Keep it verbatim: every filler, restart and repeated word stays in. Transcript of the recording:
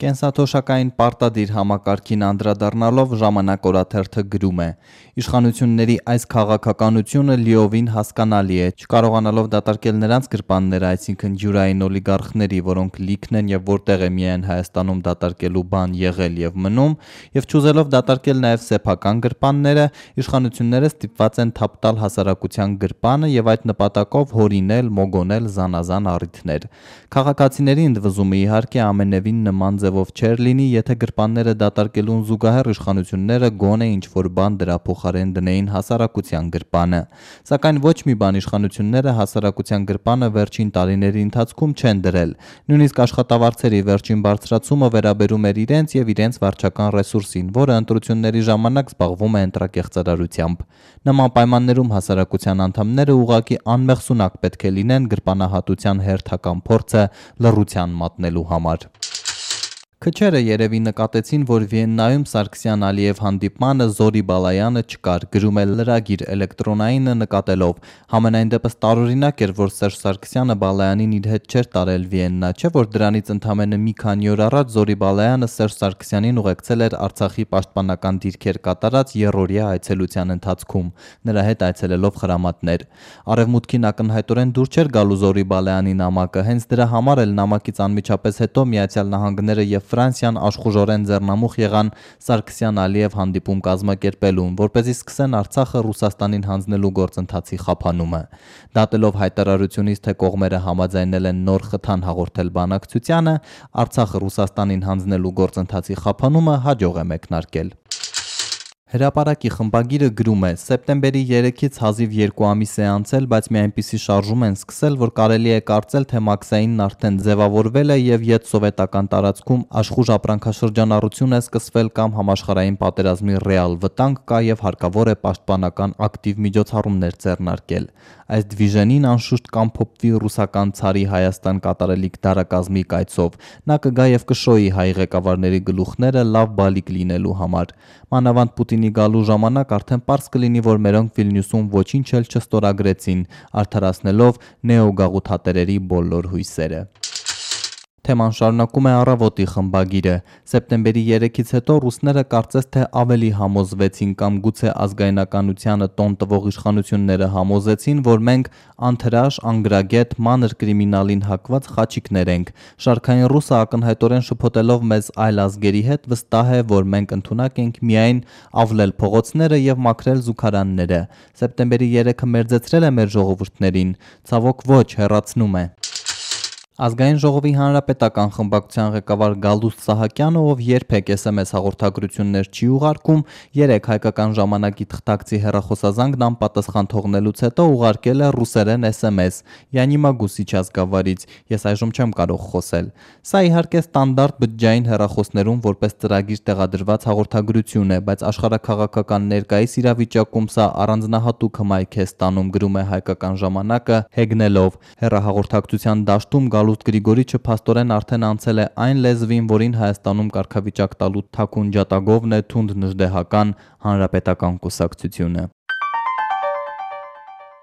Կենսաթոշակային պարտադիր համակարգին անդրադառնալով ժամանակ օրաթերթը գրում է. «Իշխանությունների այս քաղաքականությունը լիովին հասկանալի է, չկարողանալով դատարկել նրանց գրպանները, այսինքն ջուրային օլիգարխների, որոնք լիքն են եւ որտեղ է միայն Հայաստանում դատարկելու բան եղել եւ մնում, եւ չուզելով դատարկել նաեւ սեփական գրպանները, իշխանությունները ստիպված են թափ տալ հասարակության գրպանը եւ այդ նպատակով հորինել, մոգոնել զանազան առիթներ։ Քաղաքացիների ընդվզումը իհարկե ամենևին նման ձևով չէր լինի, եթե գրպանները դատարկելուն զուգահեռ իշխանությունները գոնե ինչ-որ բան դրա փոխարեն դնեին հասարակության գրպանը։ Սակայն ոչ մի բան իշխանությունները հասարակության գրպանը վերջին տարիների ընթացքում չեն դրել։ Նույնիսկ աշխատավարձերի վերջին բարձրացումը վերաբերում էր իրենց եւ իրենց վարչական ռեսուրսին, որը ընտրությունների ժամանակ զբաղվում է ընտրակեղծարարությամբ։ Նման պայմաններում հասարակության անդամները ուղղակի անմեղսունակ պետք է լինեն գրպանահատության հերթական փորձը լռության մատնելու համար»։ Քչերը երևի նկատեցին, որ Վիեննայում Սարգսյան-Ալիև հանդիպմանը Զորի Բալայանը չկար, գրում է լրագիր Էլեկտրոնայինը նկատելով. «Համենայն դեպս տարօրինակ էր, որ Սերժ Սարգսյանը Բալայանին իր հետ չէր տարել Վիեննա, չէ՞ որ դրանից ընդամենը մի քանի օր առաջ Զորի Բալայանը Սերժ Սարգսյանին ուղեկցել էր Արցախի պաշտպանական դիրքեր կատարած եռօրյա այցելության ընթացքում, նրա հետ այցելելով խրամատներ։ Արևմուտքին ակնհայտորեն դուր չէր գալու Զորի Բալայանի նամակը, հենց դրա համար էլ նամակից անմիջապես հետո Միացյալ Նահանգները եւ Ֆրանսիան աշխուժորեն ձեռնամուխ եղան Սարգսյան-Ալիև հանդիպում կազմակերպելուն, որպեսզի սկսեն Արցախը Ռուսաստանին հանձնելու գործընթացի խափանումը։ Դատելով հայտարարությունից, թե կողմերը համաձայնել են նոր խթան հաղորդել բանակցությանը, Արցախը Ռուսաստանին հանձնելու գործընթացի խափանումը հաջող է մեկնարկել»։ Հրապարակի խմբագիրը գրում է. «Սեպտեմբերի երեքից հազիվ երկու ամիս է անցել, բայց մի այնպիսի շարժում են սկսել, որ կարելի է կարծել, թե Մաքսայինն արդեն ձևավորվել է եւ յետսովետական տարածքում աշխուժ ապրանքաշրջանառություն է սկսվել կամ համաշխարհային պատերազմի ռեալ վտանգ կա եւ հարկավոր է պաշտպանական ակտիվ միջոցառումներ ձեռնարկել։ Այս դվիժենին անշուշտ կամփոփվի ռուսական ցարի Հայաստան կատարելիք դարակազմի կայցով, նա կգա եւ կշոյի հայ ղեկավարների գլուխները լավ բալիկ լինելու համար։ Մանավանդ Պուտինի գալու ժամանակ արդեն պարզ կլինի, որ մերոնք Վիլնյուսում ոչինչ էլ չստորագրեցին, արդարացնելով նեոգաղութատերերի բոլոր հույսերը»։ Թեման շարունակում է Առավոտի խմբագիրը. «Սեպտեմբերի երեքից հետո ռուսները կարծես թե ավելի համոզվեցին կամ գուցե ազգայնականությանը տոն տվող իշխանությունները համոզեցին, որ մենք անթրաշ, անգրագետ, մանր կրիմինալին հակված խաչիկներ ենք։ Շարքային ռուսը ակնհայտորեն շփոթելով մեզ այլ ազգերի հետ վստահ է, որ մենք ընդունակ ենք միայն ավլել փողոցները եւ մաքրել զուգարանները։ Սեպտեմբերի երեքը մերձեցրել է մեր ժողովուրդներին։ Ցավոք ոչ, հեռացնում է»։ Ազգային ժողովի հանրապետական խմբակցության ղեկավար Գալուստ Սահակյանը, ով երբեք էս էմ էս հաղորդագրություններ չի ուղարկում, երեկ Հայկական ժամանակի թղթակցի հեռախոսազանգն անպատասխան թողնելուց հետո ուղարկել է ռուսերեն էս էմ էս. «Я не могу сейчас говорить, ես այժմ չեմ կարող խոսել»։ Սա իհարկե ստանդարտ բջջային հեռախոսներում որպես ծրագիր տեղադրված հաղորդագրություն է, բայց աշխարհաքաղաքական ներկայիս իրավիճակում սա առանձնահատուկ հմայք է ստանում, գրում է Հայկական ժամանակը հեգնելով. «Հեռահաղորդակցության դաշտում Գալուստ Գրիգորիչը փաստորեն արդեն անցել է այն լեզվին, որին Հայաստանում կարգավիճակ տալու թաքուն ջատագովն է թունդ նժդեհական Հանրապետական կուսակցությունը»։